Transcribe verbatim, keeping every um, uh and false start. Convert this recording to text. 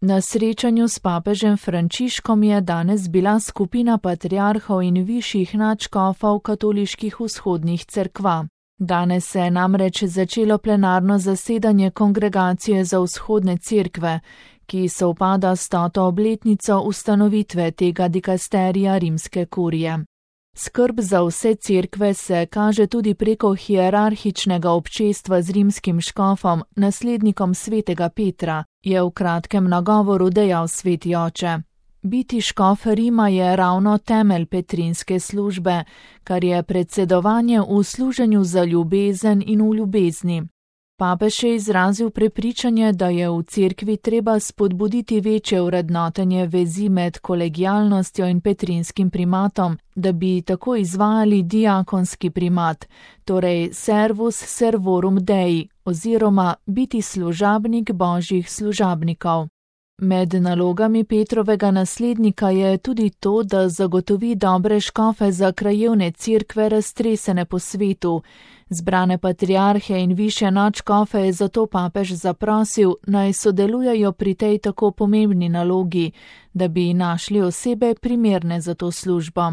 Na srečanju s papežem Frančiškom je danes bila skupina patriarhov in višjih nadškofov katoliških vzhodnih cerkva. Danes se je namreč začelo plenarno zasedanje Kongregacije za vzhodne cerkve, ki sovpada s stoto obletnico ustanovitve tega dikasterija rimske kurije. Skrb za vse cerkve se kaže tudi preko hierarhičnega občestva z rimskim škofom, naslednikom svetega Petra, je v kratkem nagovoru dejal sveti oče. Biti škof Rima je ravno temelj petrinske službe, kar je predsedovanje v služenju za ljubezen in v ljubezni. Papež je izrazil prepričanje, da je v cerkvi treba spodbuditi večje vrednotenje vezi med kolegialnostjo in petrinskim primatom, da bi tako izvajali diakonski primat, torej servus servorum Dei, oziroma biti služabnik božjih služabnikov. Med nalogami Petrovega naslednika je tudi to, da zagotovi dobre škofe za krajevne cerkve raztresene po svetu. Zbrane patriarhe in višje nadškofe je zato papež zaprosil, naj sodelujejo pri tej tako pomembni nalogi, da bi našli osebe primerne za to službo.